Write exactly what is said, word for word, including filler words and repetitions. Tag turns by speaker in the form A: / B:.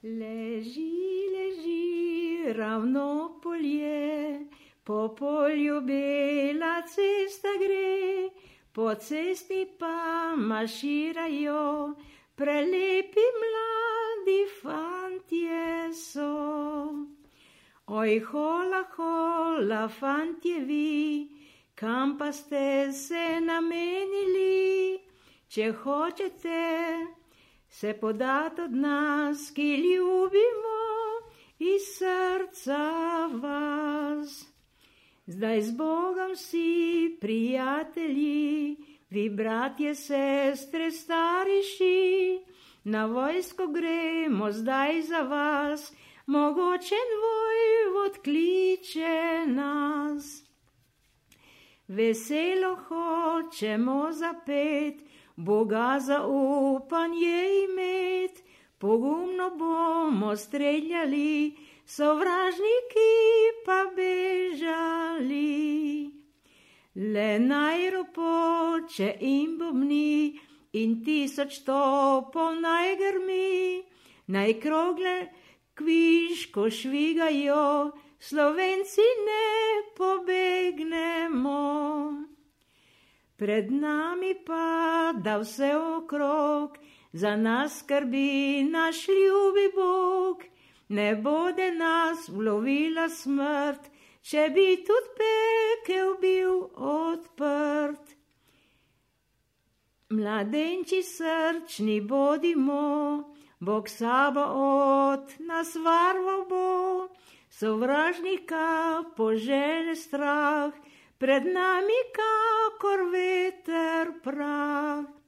A: Leži, leži, ravno polje, po polju bela cesta gre, po cesti pa maširajo, prelepi mladi fantje so. Oj, hola, hola, fantje vi, kam pa ste se namenili, če hočete se podat od nas, ki ljubimo iz srca vas. Zdaj z Bogom si prijatelji, vi bratje, sestre, stariši, na vojsko gremo zdaj za vas, mogočen vojvod kliče nas. Veselo hočemo zapet, Boga zaupanje imet, pogumno bomo streljali, sovražniki pa bežali. Le naj ropoče in bobni in tisoč topov naj grmi, naj krogle kviško švigajo, Slovenci ne pobegnemo. Pred nami pada vse okrog, za nas skrbi naš ljubi Bog. Ne bode nas ulovila smrt, če bi tudi pekel bil odprt. Mladenči srčni bodimo, Bog Sabaot nas varoval bo, sovražnika požene strah, pred nami kakor veter prah.